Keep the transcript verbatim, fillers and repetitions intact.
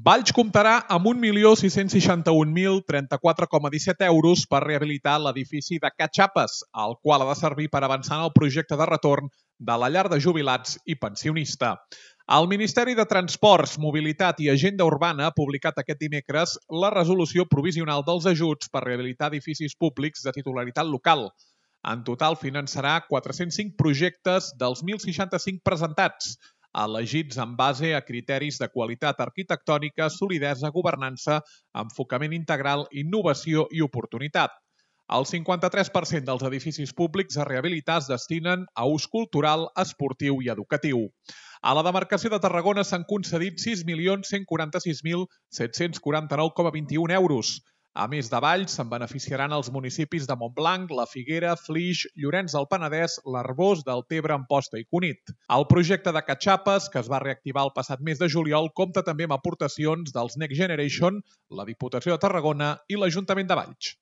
Valls comptarà amb un milió sis-cents seixanta-un mil trenta-quatre coma disset euros per rehabilitar l'edifici de Catxapes, el qual ha de servir per avançar en el projecte de retorn de la llar de jubilats i pensionista. El Ministeri de Transports, Mobilitat i Agenda Urbana ha publicat aquest dimecres la resolució provisional dels ajuts per rehabilitar edificis públics de titularitat local. En total finançarà quatre-cents cinc projectes dels mil seixanta-cinc presentats, elegits en base a criteris de qualitat arquitectònica, solidesa, governança, enfocament integral, innovació i oportunitat. El cinquanta-tres per cent dels edificis públics a rehabilitar es destinen a ús cultural, esportiu i educatiu. A la demarcació de Tarragona s'han concedit sis milions cent quaranta-sis mil set-cents quaranta-nou coma vint-i-un euros. A més de Valls, se'n beneficiaran els municipis de Montblanc, La Figuera, Flix, Llorenç del Penedès, l'Arboç, Deltebre, Amposta i Cunit. El projecte de Catxapes, que es va reactivar el passat mes de juliol, compta també amb aportacions dels Next Generation, la Diputació de Tarragona i l'Ajuntament de Valls.